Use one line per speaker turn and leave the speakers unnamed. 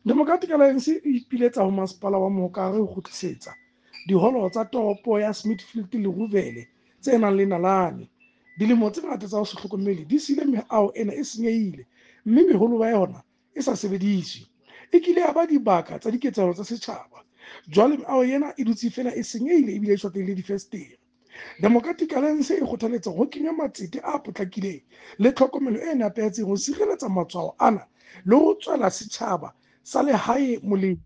Democratic Alliance e ipiletsa ho Masepala wa Mohokare ho kgutlisetsa diholo tsa toropo ya Smithfield le Ruvele tse nang le nalane. Dilemo tse ngata tsa ho se hlokomele di siile meaho ena e senyehile mme meholo ba yona e sa sebediswe. E kile ya ba dibaka tsa diketsahalo tsa setjhaba. Jwale meaho ena e dutse feela e senyehile ebile e shwatlehile difestere. Democratic Alliance e kgothaletsa ho kenywa matsete a potlakileng le tlhokomelo e nepahetseng ho sireletsa matshwao ana le ho tswela setjhaba sa lehae molemo.